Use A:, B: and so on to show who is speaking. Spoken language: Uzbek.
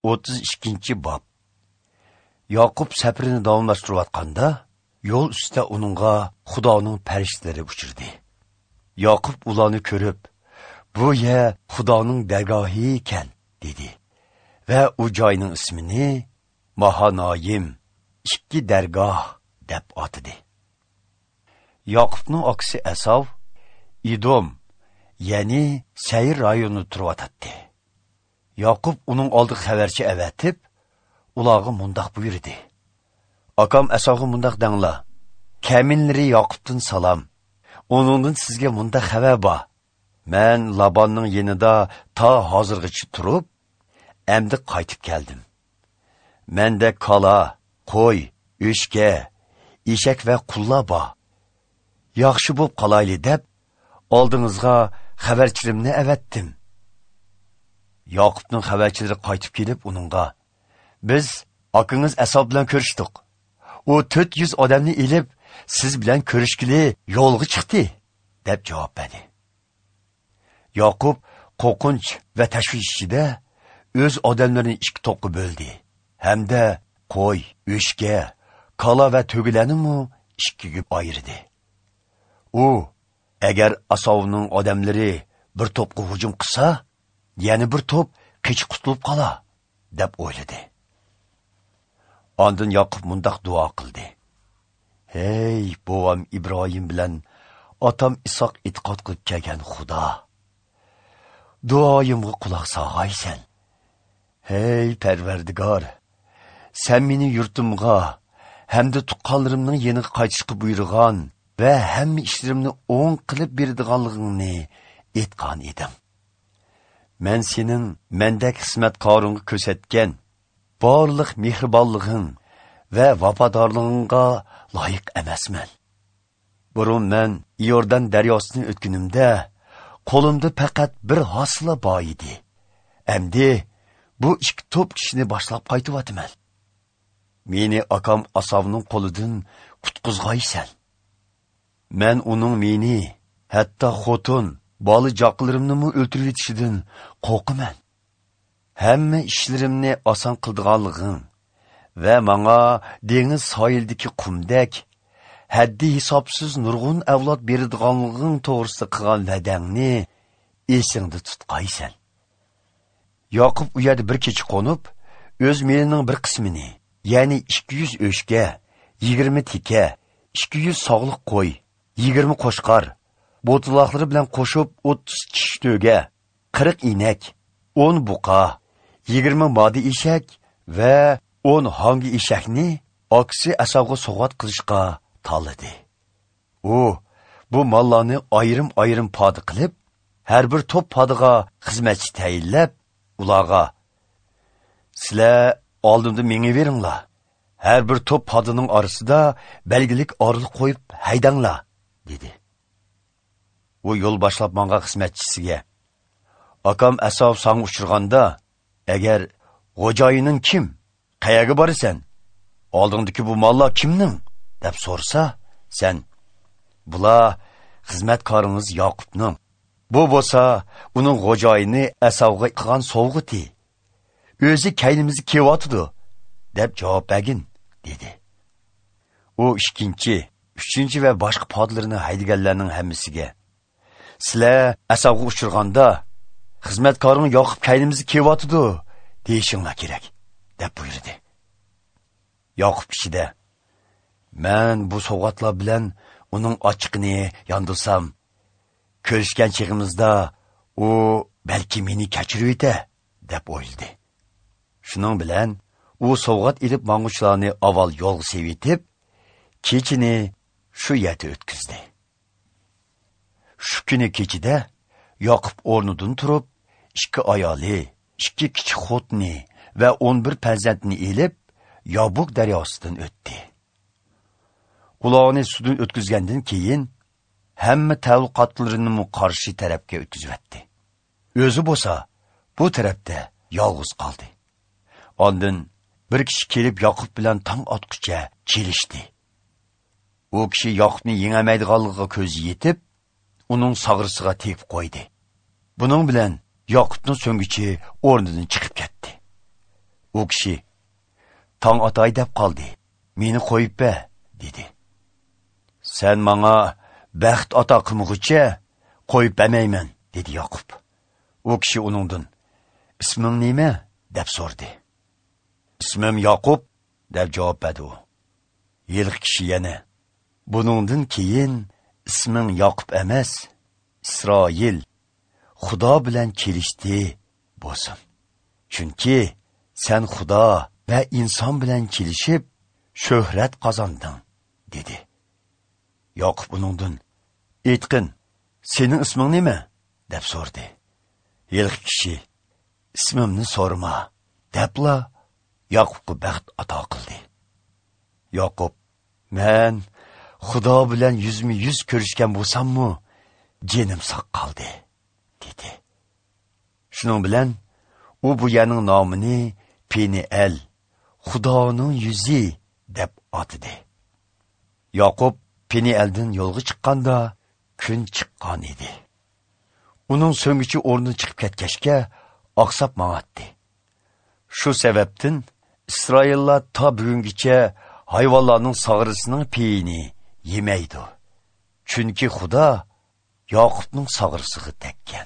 A: 32 bob. Yoqub safarini davomlashtirayotganda, yo'l ustida uningga Xudoning farishtalari uchirdi. Yoqub ularni ko'rib, "Bu yer Xudoning dargohi ekan" dedi. Va u joyning ismini Mahanoyim, ikki dargoh deb atadi. Yoqubning akasi Asov Idom, ya'ni Sayr rayonida turayotdi. Yoqub uning oldiga xabarchi avatib, ularga mundoq buyurdi: "Akam Asovga mundoq danglar: Kaminlari Yoqubdan salom. Uningdan sizga mundoq xabar bor. Men Labonning yenida ta hozirgacha turib, endi qaytib keldim. Menda kala, qo'y, o'shka, eshak va qullar bor. Yaxshi bo'lib qolayli deb oldingizga xabarchilimni avatdim." Yoqubning xabarchilari qaytib kelib uningga: "Biz akangiz Asov bilan ko'rishdik. U 400 odamni elib, siz bilan ko'rishgili yo'lga chiqdi" deb javob berdi. Yoqub qo'rqinch va tashvish ichida o'z odamlarini ikki to'pga bo'ldi. Hamda qo'y, o'shka, kala va to'gilarni ikkiga ayirdi. U agar Asovning odamlari bir to'pga hujum qilsa, yana bir to'p qechib qutulib qola, deb o'yladi. Ondan Yoqub mundoq duo qildi: "Hey, bovam Ibrohim bilan otam Isoq e'tiqod qilib kelgan Xudo, duoyimga quloq solg'aysan. Hey Parvardigor, sen meni yurtimga hamda tuqqanlarimning yeniga qaytishga buyurgan va hamma ishlarimni o'ng qilib beradiganligingni aytgan edim. Men sening mendek xizmatkoringga ko'rsatgan barliq mehribonliging va vafodorligingga loyiq emasman. Burun men Iordan daryosini o'tganimda qo'limda faqat bir hosila bor edi. Endi bu ikki to'p kishini boshlab qaytyapman. Meni akam Asovning qo'lidan qutqizg'aysan. Men uning meni, hatto xotin, bola joqlarimni o'ltirib yetishidan qo'rqaman. Hamma ishlarimni oson qildiganliging va menga dengiz sohilidagi qumdek haddi hisobsiz nurg'un avlod beradiganliging to'g'risida qilgan va'dangni esingda tutqaysan." Yoqub u yerda bir kecha qo'nib, o'z melining bir qismini, ya'ni 200 o'shka, 20 teka, 200 sog'liq qo'y, 20 qo'shqar, bo'taloqlari bilan qo'shib 30 kishi to'ga, 40 inak, 10 buqa, 20 modi eshak va 10 hangi eshakni akasi Asovga sovg'at qilishga tanladi. U bu mollarni ayrim-ayrim poda qilib, har bir to'p podaga xizmatchi tayinlab, ularga: "Sizlar oldimda mengaveringlar. Har bir to'p podaning orasida belgilik orliq qo'yib haydanglar" dedi. U yo'l boshlab manga xizmatchisiga: "Akam Asov sanga uchirganda, agar xo'jayining kim, qayerga borasan, oldingdagi bu mollar kimning deb so'rasa, sen: Bular xizmatkoringiz Yoqubning. Bu bo'lsa uning xo'jayini Asovga qilgan sovg'ati. O'zi kaynimizni kelyotidi" deb javob bergin" dedi. U ikkinchi, uchinchi va boshqa podlarini haydaganlarning hammasiga: "Sizlar Asovga uchirganda, xizmatkoring Yoqub kaynimizni kelyotidi deyishinglar kerak" deb buyurdi. Yoqub ichida: "Men bu sovg'atlar bilan uning ochiqini yondirsam, ko'rishgan chig'imizda u balki meni kechirib yetar" deb o'yladi. Shuning bilan u sovg'at ilib mang'uchilarni avval yo'lga sevitib, kechini shu yerda o'tkazdi. Shu kuni kechida Yoqub o'rnidan turib, ikki ayoli, ikki kichik xotini va 11 farzandini elib, Yabuk daryosidan o'tdi. Ularni suvdan o'tkazgandan keyin hamma tavliqotlarini qarshi tarafga o'tkazvatdi. O'zi bo'lsa bu tarafda yolg'iz qoldi. Ondan bir kishi kelib Yoqub bilan tong otqicha kelishdi. U kishi Yoqubni yengamaydiganligiga ko'zi yetib, uning sag'risiga tegib qo'ydi. Buning bilan Yoqubning so'ngichi o'rnidan chiqib ketdi. U kishi: "Tong otay deb qoldi. Meni qo'yib ber" dedi. "Sen menga baxt ato qilmag'ucha qo'yib bermayman" dedi Yoqub. U kishi uningdan: "Isming nima?" deb so'radi. "Ismim Yoqub" deb javob berdi u. Yilqi kishi yana: "Buningdan keyin isming Yoqub emas, Isroil, Xudo bilan kelishdi bo'lsin. Chunki sen Xudo va inson bilan kelishib shuhrat qozonding" dedi. Yoqub uningdan: "Aytqin, sening isming nima?" deb so'radi. Yilqi kishi: "Ismimni so'rama" debla Yoqubga baxt ato qildi. Yoqub: "Men Xudo bilan yuzma-yuz ko'rishgan bo'lsam-mu, jinim sog' qoldi" dedi. Shuning bilan u bu yerning nomini Peniel, Xudoning yuzi deb atadi. Yoqub Penieldan yo'lga chiqqanda kun chiqqan edi. Uning so'ngichi o'rnidan chiqib ketgachga oqsab mang'atdi. Shu sababdan Isroillar ta bugungacha hayvonlarning sag'risining peyini yemaydi. Chunki Xudo Yoqubning sag'risiga tekkan.